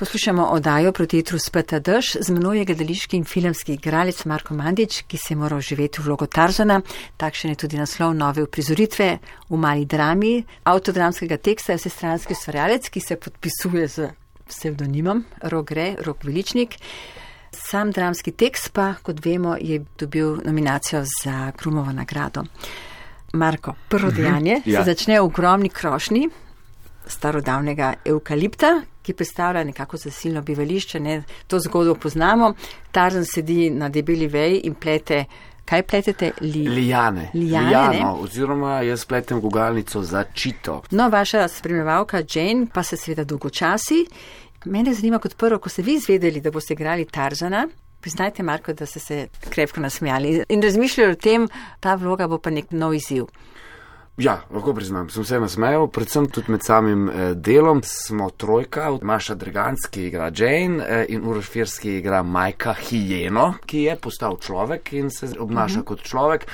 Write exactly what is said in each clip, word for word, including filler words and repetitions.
Poslušamo oddajo Proti jutru speta dež. Z menoj je gledališki in filmski igralec Marko Mandić, ki se je moral živeti v vlogo Tarzana. Takšen je tudi naslov nove uprizoritve v mali drami avtodramskega teksta. Je vsestranski ustvarjalec, ki se podpisuje z psevdonimom Rok Gre, Rok Veličnik. Sam dramski tekst pa, kot vemo, je dobil nominacijo za Krumovo nagrado. Marko, prvo dejanje mm-hmm, ja. se začne v ogromni krošnji starodavnega evkalipta, ki predstavlja nekako zasilno bivališče, ne, to zgodbo poznamo. Tarzan sedi na debeli veji in plete, kaj pletete? Li... Lijane. Lijane, Lijano, oziroma jaz pletem gugalnico za čito. No, vaša spremljevalka Jane pa se seveda dolgočasi. Mene zanima kot prvo, ko ste vi izvedeli, da boste igrali Tarzana, priznajte, Marko, da ste se krepko nasmejali in razmišljali o tem, ta vloga bo pa nek nov izziv. Ja, lahko priznam, sem se nasmejal, predvsem tudi med samim eh, delom. Smo trojka, Maša Dreganski igra Jane eh, in Uroš Firski igra Majka Hijeno, ki je postal človek in se obnaša uh-huh. kot človek.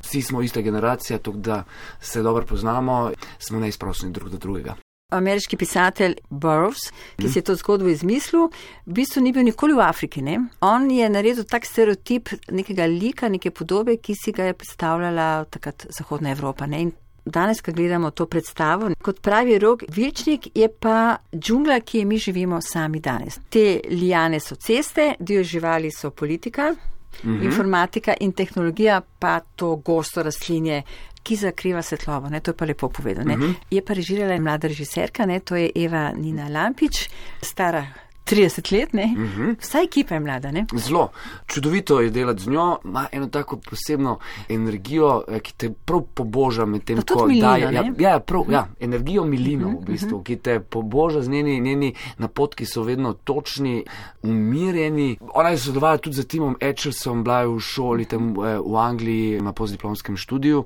Vsi smo ista generacija, tako da se dobro poznamo, smo neizprosni drug do drugega. Ameriški pisatelj Burroughs, ki mm. si je to zgodbo izmislil, v bistvu ni bil nikoli v Afriki. Ne? On je naredil tak stereotip nekega lika, neke podobe, ki si ga je predstavljala takrat Zahodna Evropa. Ne? In danes, ko gledamo to predstavo, kot pravi Rok Veličnik, je pa džungla, ki je mi živimo sami danes. Te lijane so ceste, dio živali so politika, mm-hmm. informatika in tehnologija pa to gosto rastlinje, ki zakriva svetlobo, ne, to je pa lepo povedano. Uh-huh. Je pa režirala mlada režiserka, ne, to je Eva Nina Lampič, stara trideset let, ne, uh-huh. vsa ekipa je mlada, ne. Zelo, čudovito je delati z njo, ima eno tako posebno energijo, ki te prav poboža med tem, ko daje. Ja, ja, prav, uh-huh. ja, energijo milino uh-huh. v bistvu, ki te poboža z njeni, njeni napotki so vedno točni, umirjeni. Ona je sodelovala tudi z Timom Etchelsom, bila je v šoli tam v Angliji na postdiplomskem študiju.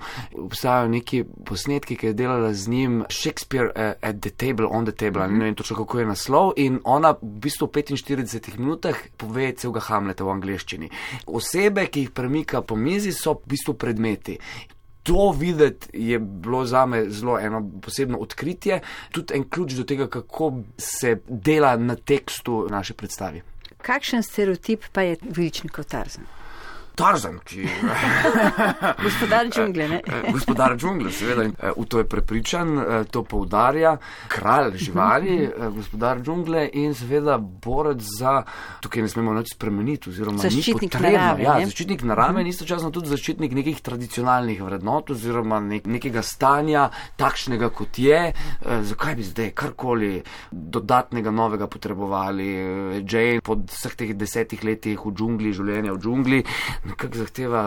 Obstajajo neki posnetki, ki je delala z njim Shakespeare uh, at the table, on the table, uh-huh. ne vem točno kako je naslov, in ona v v petinštiridesetih minutah pove celega Hamleta v angleščini. Osebe, ki jih premika po mizi, so v bistvu predmeti. To videti je bilo zame zelo eno posebno odkritje, tudi en ključ do tega, kako se dela na tekstu naše predstavi. Kakšen stereotip pa je Veličnikov Tarzan? Tarzan, ki... Gospodar džungle, ne? Gospodar džungle, seveda. V to je prepričan, to poudarja. Kralj živali, gospodar džungle in seveda borec za... Tukaj ne smemo nič spremeniti, oziroma zaščitnik ni potrebno. Narave, ja, zaščitnik narave in istočasno tudi zaščitnik nekih tradicionalnih vrednot, oziroma nek, nekega stanja, takšnega kot je. Zakaj bi zdaj karkoli dodatnega novega potrebovali? Jane po vseh teh desetih letih v džungli, življenja v džungli, nekako zahteva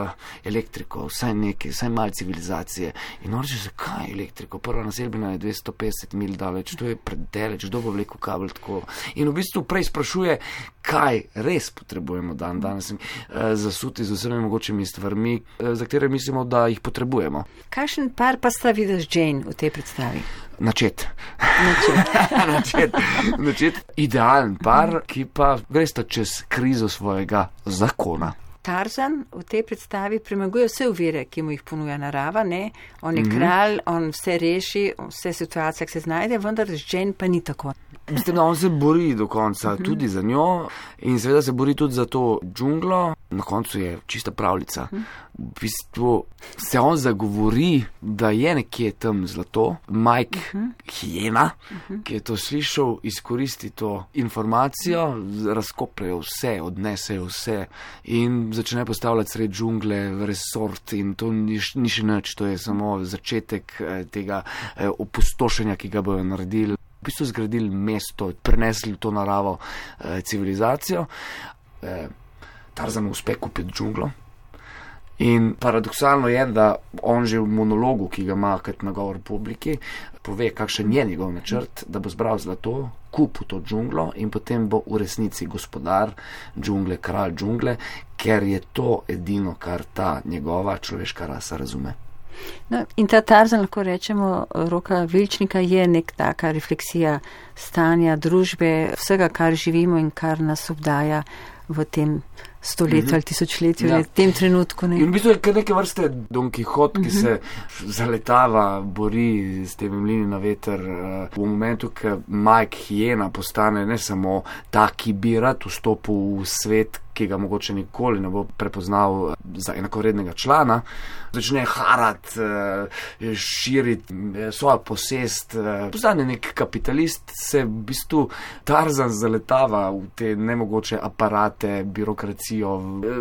elektriko, vsaj nekaj, vsaj malo civilizacije. In on reče, zakaj elektriko? Prva naselbina je dvesto petdeset mil daleč, to je predaleč, kdo bo vlekel kabel tako. In v bistvu prej sprašuje, kaj res potrebujemo dan danes, eh, zasuti z vsemi mogočimi stvarmi, eh, za katere mislimo, da jih potrebujemo. Kakšen par pa sta vidiš Jane v tej predstavi? Načet. Načet. načet. Načet. Idealen par, ki pa gresta čez krizo svojega zakona. Tarzan v tej predstavi premaguje vse ovire, ki mu jih ponuja narava, ne? On je mm-hmm. kralj, on vse reši, vse situacije, ki se znajde, vendar z Jane pa ni tako. Mislim, da on se bori do konca mm-hmm. tudi za njo in seveda se bori tudi za to džunglo. Na koncu je čista pravljica. Mm-hmm. V bistvu se on zagovori, da je nekje tam zlato. Mike uh-huh. Hijena, uh-huh. ki je to slišal, izkoristi to informacijo, razkopljajo vse, odnesejo vse in začne postavljati sred džungle v resort in to ni, ni še nič, to je samo začetek eh, tega eh, opustošenja, ki ga bojo naredili. V bistvu zgradili mesto, prenesli to naravo eh, civilizacijo. Eh, Tarzan uspe kupiti džunglo. In paradoksalno je, da on že v monologu, ki ga ima kot nagovor publiki, pove, kakšen je njegov načrt, da bo zbral zlato, kupil to džunglo in potem bo v resnici gospodar džungle, kralj džungle, ker je to edino, kar ta njegova človeška rasa razume. No, in ta Tarzan, lahko rečemo, Roka Vilčnika je nek taka refleksija stanja, družbe, vsega, kar živimo in kar nas obdaja v tem stoletju mm-hmm. ali tisočletju, ja. ali v tem trenutku. Ne. In v bistvu je kar neke vrste Don Quixote, ki mm-hmm. se zaletava, bori s temi mlini na veter. V momentu, ko Mike Hiena postane ne samo ta, ki bi rad vstopil v svet, ki ga mogoče nikoli ne bo prepoznal za enakovrednega člana, začne harat, širiti svojo posest, postane nek kapitalist, se v bistvu Tarzan zaletava v te nemogoče aparate, birokracijo,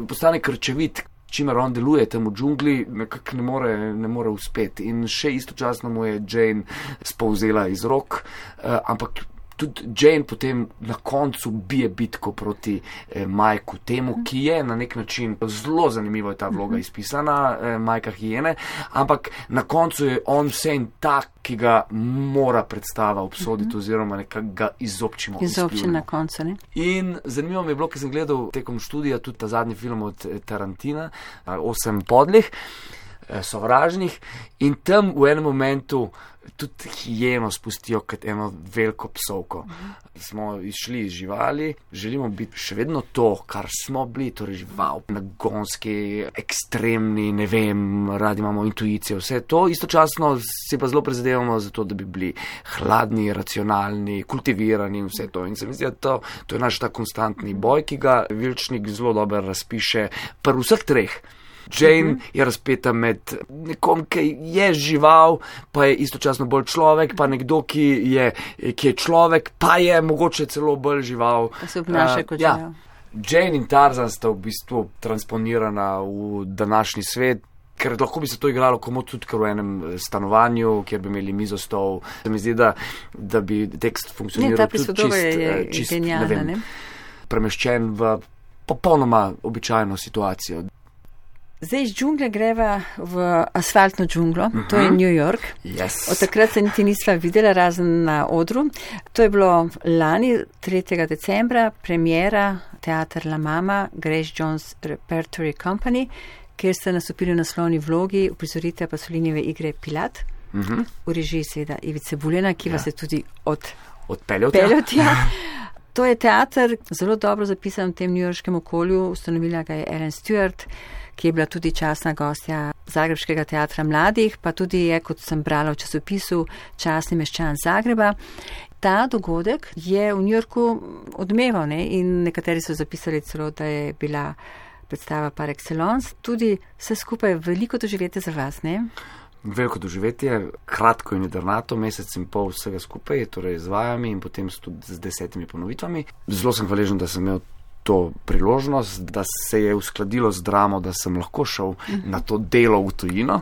postane krčevit, čimer on deluje tam v džungli, nekako ne more, ne more uspeti. In še istočasno mu je Jane spolzela iz rok, ampak tudi Jane potem na koncu bije bitko proti eh, Majku temu, ki je na nek način, zelo zanimivo je ta vloga izpisana, eh, Majka Hiene, ampak na koncu je on vse in tak, ki ga mora predstava obsoditi oziroma nekako ga izobčimo. Izobčimo na koncu, ne? In zanimivo mi je bilo, ker sem gledal tekom študija tudi ta zadnji film od Tarantina, Osem podlih, sovražnih, in tam v enem momentu tudi hijeno spustijo kot eno veliko psovko. Smo išli iz živali, želimo biti še vedno to, kar smo bili, torej žival, nagonski, ekstremni, ne vem, radi imamo intuicijo, vse to, istočasno si pa zelo prizadevamo za to, da bi bili hladni, racionalni, kultivirani in vse to. In se mi zdi, da to, to je naš ta konstantni boj, ki ga Vilčnik zelo dobro razpiše pri vseh treh. Jane uh-huh. je razpeta med nekom, ki je žival, pa je istočasno bolj človek, pa nekdo, ki je, ki je človek, pa je mogoče celo bolj žival. Pa se obnaša uh, kot ja. žival. Jane in Tarzan sta v bistvu transponirana v današnji svet, ker lahko bi se to igralo komu tudi kar v enem stanovanju, kjer bi imeli mizostol. Se mi zdi, da, da bi tekst funkcioniral tudi čist, je, čist genialna, ne vem, ne? premeščen v popolnoma običajno situacijo. Zdaj iz džungle greva v asfaltno džunglo, uh-huh. to je New York. Yes. Od takrat se niti nisva videla, razen na odru. To je bilo lani, tretjega decembra, premiera Teater La Mama, Grace Jones Repertory Company, kjer ste nastopili v naslovni vlogi, uprizorite Pasolinijeve igre Pilat, uh-huh. v režiji seveda Ivice Buljana, ki ja. vas je tudi od... odpeljal tja. To je teater, zelo dobro zapisan v tem newyorškem okolju, ustanovila ga je Ellen Stewart, ki je bila tudi častna gostja Zagrebškega teatra mladih, pa tudi je, kot sem brala v časopisu, častni meščan Zagreba. Ta dogodek je v New Yorku odmeval, ne? In nekateri so zapisali celo, da je bila predstava par excellence. Tudi vse skupaj veliko doživetje za vas, ne? Veliko doživetje, kratko in jedrnato, mesec in pol vsega skupaj, torej z vajami in potem tudi z desetimi ponovitvami. Zelo sem hvaležen, da sem imel to priložnost, da se je uskladilo z dramo, da sem lahko šel na to delo v tujino.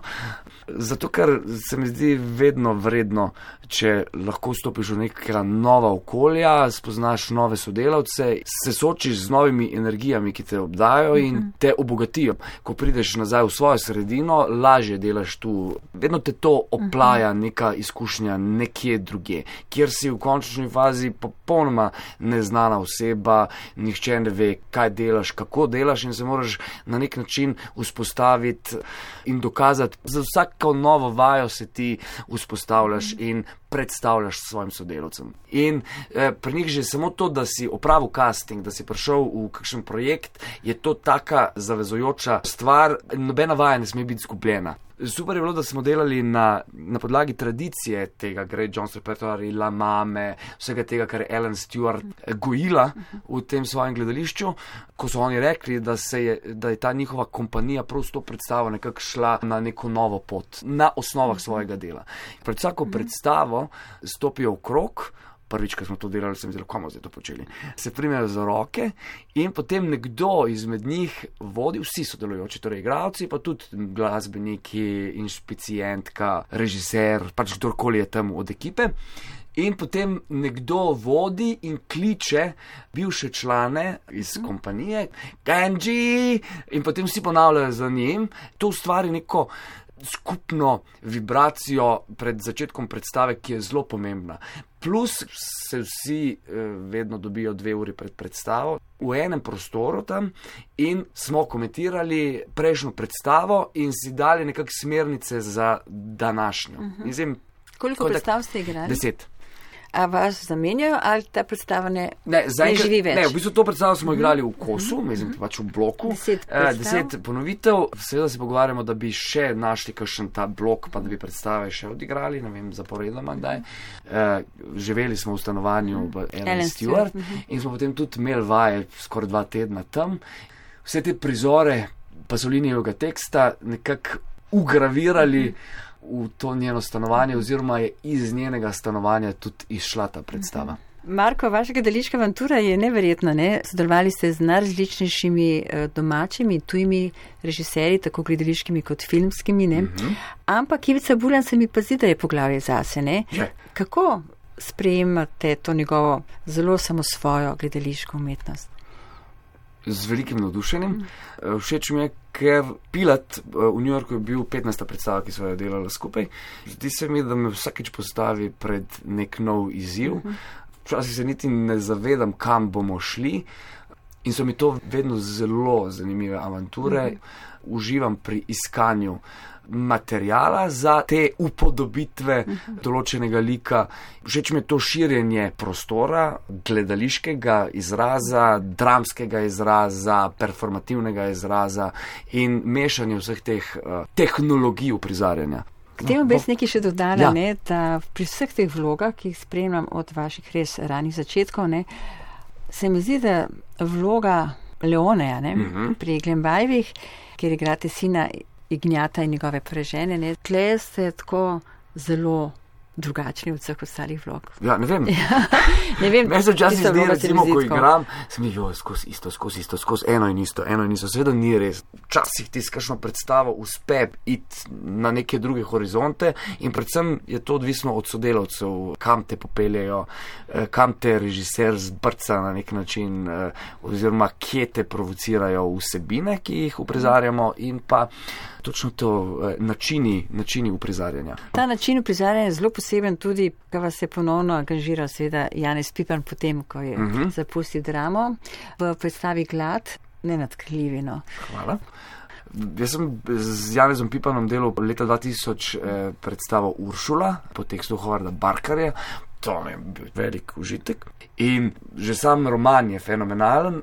Zato, ker se mi zdi vedno vredno, če lahko vstopiš v neka nova okolja, spoznaš nove sodelavce, se soočiš z novimi energijami, ki te obdajo in te obogatijo. Ko prideš nazaj v svojo sredino, lažje delaš tu. Vedno te to oplaja neka izkušnja nekje drugje, kjer si v končni fazi popolnoma neznana oseba, nihče ne ve, kaj delaš, kako delaš in se moraš na nek način vzpostaviti in dokazati. Za vsako novo vajo se ti vzpostavljaš in predstavljaš svojim sodelavcem. In eh, pri njih že samo to, da si opravil casting, da si prišel v kakšen projekt, je to taka zavezujoča stvar, nobena vaja ne sme biti izgubljena. Super je bilo, da smo delali na, na podlagi tradicije tega Grace Jones Repertory, La Mame, vsega tega, kar je Ellen Stewart gojila v tem svojem gledališču, ko so oni rekli, da, se je, da je ta njihova kompanija prav s to predstavo nekako šla na neko novo pot, na osnovah svojega dela. Pred vsako predstavo stopijo v krog, prvič, ko smo to delali, sem zelo, komu zdaj to počeli, se primejo za roke in potem nekdo izmed njih vodi, vsi sodelujoči, torej igralci, pa tudi glasbeniki, inšpicijentka, režiser, pač kdorkoli je tam od ekipe. In potem nekdo vodi in kliče bivše člane iz kompanije, Kenji, in potem vsi ponavljajo za njim. To ustvari neko skupno vibracijo pred začetkom predstave, ki je zelo pomembna. Plus se vsi eh, vedno dobijo dve uri pred predstavo v enem prostoru tam in smo komentirali prejšnjo predstavo in si dali nekak smernice za današnjo. Uh-huh. Mislim, koliko predstav ste igrali? Deset. A vas zamenjajo ali ta predstava ne, ne, ne živi več? Ne, v bistvu to predstavo smo igrali v kosu, mm-hmm. mislim, pač v bloku. Deset, eh, deset ponovitev. Seveda se pogovarjamo, da bi še našli kakšen ta blok, pa da bi predstave še odigrali, ne vem, zaporedoma kdaj. Eh, živeli smo v stanovanju v Ellen Stewart mm-hmm. in smo potem tudi imeli vaje skoraj dva tedna tam. Vse te prizore Pasolinijevega teksta nekako ugravirali mm-hmm. v to njeno stanovanje oziroma je iz njenega stanovanja tudi izšla ta predstava. Marko, vaša gledališka avantura je neverjetna, ne? Sodelovali ste z najrazličnejšimi domačimi, tujimi režiserji, tako gledališkimi kot filmskimi, ne? Uh-huh. Ampak Ivica Buljan se mi pa zdi, da je poglavje zase, ne? Je. Kako sprejemate to njegovo zelo samosvojo gledališko umetnost? Z velikim navdušenjem. Všeč mi je, ker Pilat v New Yorku je bil petnajsta predstava, ki so jo delala skupaj. Zdi se mi, da me vsakič postavi pred nek nov izziv. Včasih se niti ne zavedam, kam bomo šli in so mi to vedno zelo zanimive avanture. Uživam pri iskanju materijala za te upodobitve uh-huh. določenega lika. Všeč mi je to širjenje prostora, gledališkega izraza, dramskega izraza, performativnega izraza in mešanje vseh teh uh, tehnologij uprizarjanja. K temu bi nekaj še dodala, ja. ne, da pri vseh teh vlogah, ki jih spremljam od vaših res ranih začetkov, ne, se mi zdi, da vloga Leoneja ne, uh-huh. pri Glembajevih, kjer igrate sina Ignjata in njegove prežene, ne, tle ste tako zelo drugačni od vseh ostalih vlog. Ja, ne vem. ne vem. Meni se včasih zdi, recimo, ko igram, sem jo skozi isto, skozi isto, skozi eno in isto, eno in isto. Seveda ni res. Včasih ti s kakšno predstavo uspe iti na neke druge horizonte in predvsem je to odvisno od sodelavcev, kam te popeljejo, kam te režiser zbrca na nek način oziroma kje te provocirajo vsebine, ki jih uprizarjamo in pa točno to načini, načini uprizarjanja. Ta način uprizarjanja je zelo poseben tudi, ko vas je ponovno angažiral seveda Janez Pipan potem, ko je uh-huh. zapustil dramo v predstavi Glad, nenadkrljivi, no. Hvala. Jaz sem z Janezom Pipanom delal leta dva tisoč eh, predstavo Uršula po tekstu Hovarda Barkarja. To mi je bil velik užitek. In že sam roman je fenomenalen.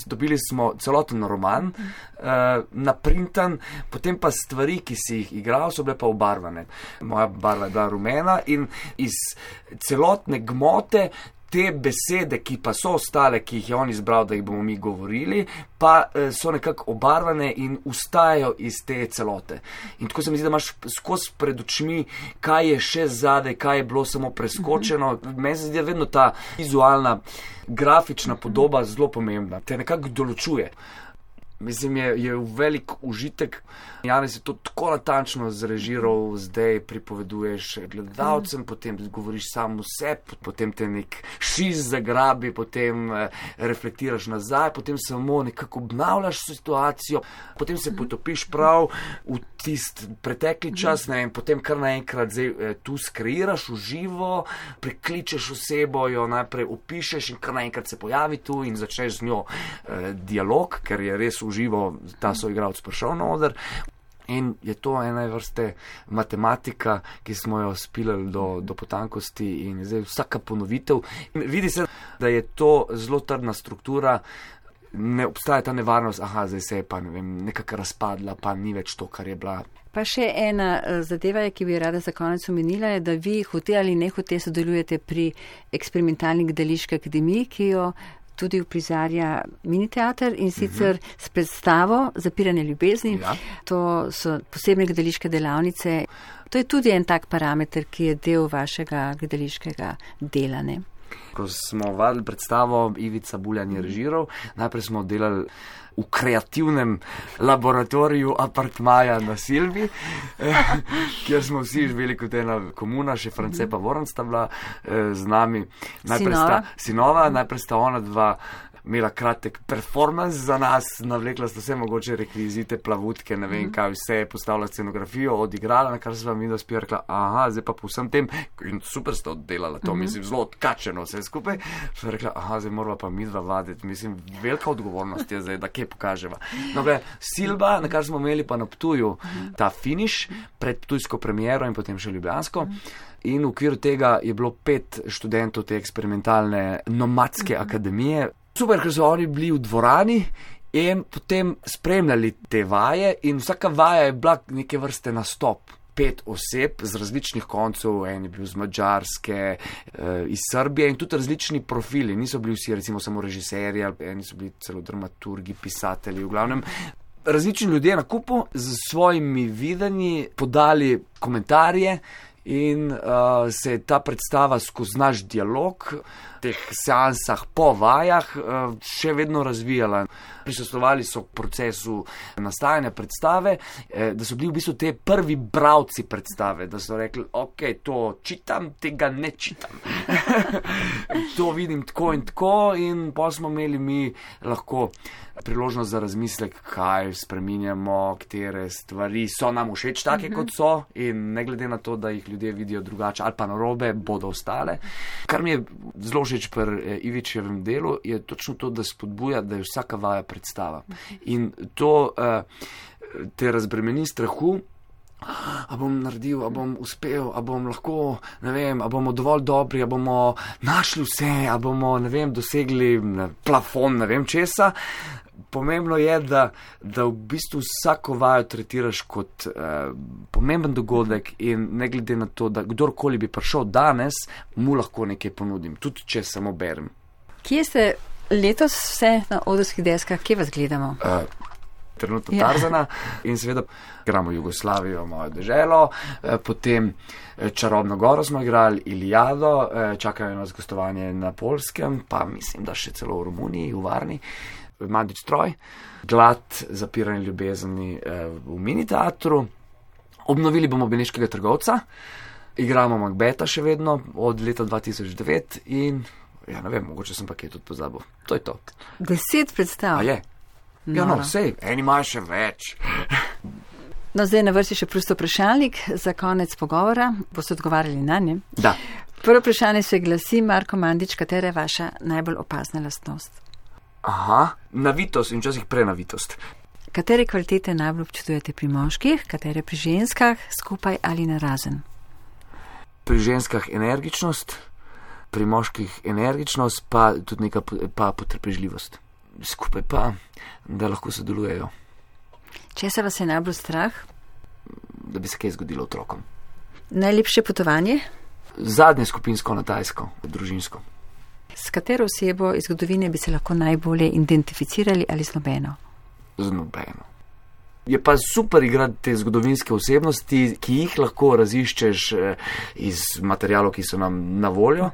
Dobili smo celoten roman, uh, naprintan, potem pa stvari, ki si jih igral, so bile pa obarvane. Moja barva je bila rumena in iz celotne gmote te besede, ki pa so ostale, ki jih je on izbral, da jih bomo mi govorili, pa uh, so nekako obarvane in ustajajo iz te celote. In tako se mi zdi, da imaš skozi pred očmi, kaj je še zadaj, kaj je bilo samo preskočeno. Mm-hmm. Meni se zdi, da vedno ta vizualna grafična podoba zelo pomembna, te nekako določuje. Mislim, je, je velik užitek. Janez je to tako natančno zrežiral, zdaj pripoveduješ gledalcem, potem govoriš sam vse, potem te nek šiz zagrabi, potem eh, reflektiraš nazaj, potem samo nekako obnavljaš situacijo, potem se potopiš prav v tist pretekli čas, ne, in potem kar naenkrat zdaj eh, tu skreiraš v živo, prikličeš osebo, jo najprej opišeš in kar naenkrat se pojavi tu in začneš z njo eh, dialog, ker je res v živo ta soigralec prišel na oder. In je to ena vrste matematika, ki smo jo spilali do, do potankosti in zdaj vsaka ponovitev. In vidi se, da je to zelo trdna struktura, ne obstaja ta nevarnost, aha, zdaj se je pa ne vem, nekako razpadla, pa ni več to, kar je bila. Pa še ena zadeva, ki bi rada za konec omenila, je, da vi hote ali ne hote sodelujete pri eksperimentalni gledališki akademiji, ki jo tudi uprizarja miniteater in sicer uh-huh. s predstavo Zapiranje ljubezni. Ja. To so posebne gledališke delavnice. To je tudi en tak parameter, ki je del vašega gledališkega dela, ne? Ko smo vadili predstavo, Ivica Buljan je režiral, najprej smo delali v kreativnem laboratoriju apartmaja na Silvi, kjer smo vsi živeli kot ena komuna, še France pa Voran sta bila eh, z nami. Najprej sinova. Sta, sinova, najprej sta ona dva imela kratek performance za nas, navlekla sta vse mogoče rekvizite, plavutke, ne vem kaj, vse postavila scenografijo, odigrala, na kar se vam videla spija, rekla, aha, zdaj pa po vsem tem, in super sta oddelala to, mislim, zelo odkačeno vse skupaj, so rekla, aha, zdaj morala pa midva vaditi, mislim, velika odgovornost je zdaj, da kje pokaževa. No, gre, Silba, na kar smo imeli pa na Ptuju ta finiš, pred ptujsko premiero in potem še ljubljansko. In v okviru tega je bilo pet študentov te eksperimentalne nomadske akademije. Super, ker so oni bili v dvorani in potem spremljali te vaje in vsaka vaja je bila neke vrste nastop. Pet oseb z različnih koncev, en je bil z Madžarske, iz Srbije in tudi različni profili. Niso bili vsi recimo samo režiserji, eni so bili celo dramaturgi, pisatelji, v glavnem. Različni ljudje na kupu z svojimi videnji podali komentarje in uh, se je ta predstava skozi naš dialog v teh seansah po vajah uh, še vedno razvijala. Prisostvovali so k procesu nastajanja predstave, eh, da so bili v bistvu te prvi bralci predstave, da so rekli, ok, to čitam, tega ne čitam. To vidim tako in tako in pa smo imeli mi lahko priložnost za razmislek, kaj spreminjamo, katere stvari so nam všeč take, mm-hmm. kot so in ne glede na to, da jih ljudje vidijo drugače ali pa narobe, bodo ostale. Kar mi je zelo všeč pri Ivičevem delu, je točno to, da spodbuja, da je vsaka vaja predstava. In to uh, te razbremeni strahu, a bom naredil, a bom uspel, a bom lahko, ne vem, a bomo dovolj dobri, a bomo našli vse, a bomo, ne vem, dosegli ne, plafon, ne vem česa. Pomembno je, da, da v bistvu vsako vajo tretiraš kot eh, pomemben dogodek in ne glede na to, da kdorkoli bi prišel danes, mu lahko nekaj ponudim, tudi če samo berem. Kje ste letos vse na odrskih deskah, kje vas gledamo? Uh, trenutno ja. Tarzana in seveda igramo Jugoslavijo, mojo deželo, eh, potem Čarobno goro smo igrali, Iliado, eh, čakajo nas gostovanje na Poljskem, pa mislim, da še celo v Romuniji, v Varni. Mandič Troj, Glad, Zapiranje ljubezni eh, v mini teatru. Obnovili bomo Beneškega trgovca, igramo Macbeta še vedno od leta dva tisoč devet in ja, ne vem, mogoče sem pa kaj tudi pozabil. To je to. Deset predstav? A je? No. Ja, no, vsej, eni imajo še več. No, zdaj na vrsti še prosto vprašalnik za konec pogovora. Boste odgovarjali na nje? Da. Prvo vprašanje se glasi, Marko Mandič, katera je vaša najbolj opazna lastnost? Aha, navitost in včasih prenavitost. Katere kvalitete najbolj občudujete pri moških, katere pri ženskah, skupaj ali narazen? Pri ženskah energičnost, pri moških energičnost, pa tudi neka pa potrpežljivost. Skupaj pa, da lahko sodelujejo. Česa vas je najbolj strah? Da bi se kaj zgodilo otrokom. Najlepše potovanje? Zadnje skupinsko na Tajsko, družinsko. S katero osebo iz zgodovine bi se lahko najbolje identificirali ali z nobeno? Z nobeno. Je pa super igrati te zgodovinske osebnosti, ki jih lahko raziščeš iz materijalov, ki so nam na voljo,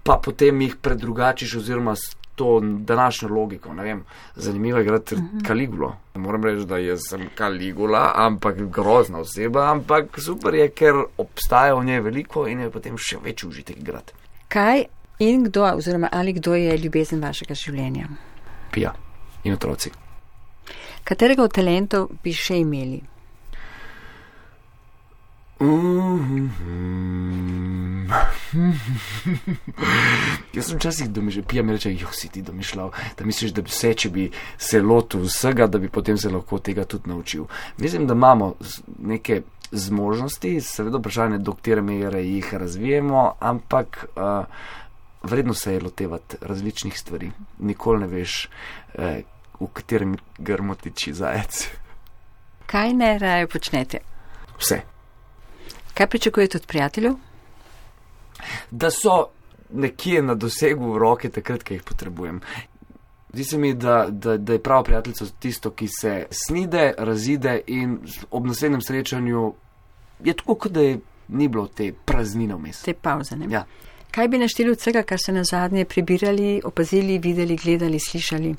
pa potem jih predrugačiš oziroma s to današnjo logiko. Ne vem, zanimivo je igrati uh-huh. Kaligulo. Moram reči, da jaz sem Kaligula, ampak grozna oseba, ampak super je, ker obstaja v njej veliko in je potem še večji užitek igrati. Kaj in kdo, oziroma ali kdo je ljubezen vašega življenja? Pija in otroci. Katerega od talentov bi še imeli? Mm-hmm. Jaz sem včasih domišljal, Pija mi reče, joh, si ti domišljal, da misliš, da bi vse, če bi se lotil vsega, da bi potem se lahko tega tudi naučil. Mislim, da imamo neke zmožnosti, seveda vprašanje, do katere mere jih razvijemo, ampak uh, vredno se je lotevati različnih stvari. Nikoli ne veš, eh, v katerem grmu tiči zajec. Kaj najraje počnete? Vse. Kaj pričakujete od prijateljev? Da so nekje na dosegu roke takrat, ki jih potrebujem. Zdi se mi, da, da, da je pravo prijateljstvo tisto, ki se snide, razide in ob naslednjem srečanju je tako, kot da je ni bilo te praznine vmes. Te pauze, ne? Ja. Kaj bi našteli od vsega, kar ste nazadnje prebirali, opazili, videli, gledali, slišali?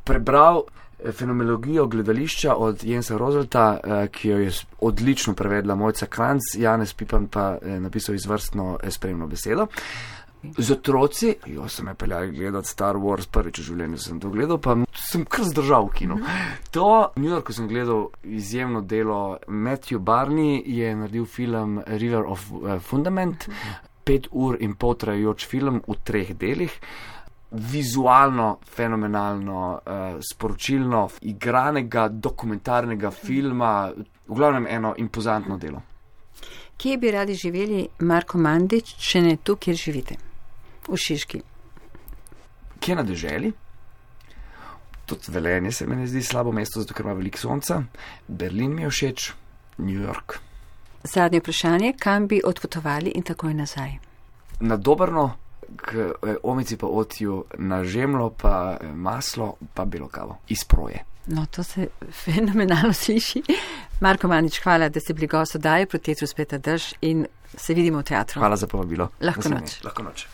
Prebral fenomenologijo gledališča od Jensa Roselta, ki jo je odlično prevedla Mojca Kranc, Janez Pipan pa napisal izvrstno spremno besedo. Z otroci, jo sem me peljali gledati Star Wars, prvič v življenju sem to gledal, pa sem kar zdržal v kinu. To, v New Yorku sem gledal izjemno delo. Matthew Barney je naredil film River of Fundament, pet ur in pol trajajoč film v treh delih. Vizualno, fenomenalno, uh, sporočilno, igranega, dokumentarnega filma, v glavnem eno impozantno delo. Kje bi radi živeli, Marko Mandić, če ne tu, kjer živite? V Šiški. Kje na deželi? Tudi Velenje se mi ne zdi slabo mesto, zato ker ima veliko sonca. Berlin mi je všeč, New York. Zadnje vprašanje, kam bi odpotovali in takoj nazaj? Na Dobrno, k omici pa otju, na žemlo pa maslo pa belo kavo iz proje. No, to se fenomenalno sliši. Marko Mandić, hvala, da ste bili gost oddaje Proti vetru speta dež in se vidimo v teatru. Hvala za povabilo. Lahko noč. Lahko noč.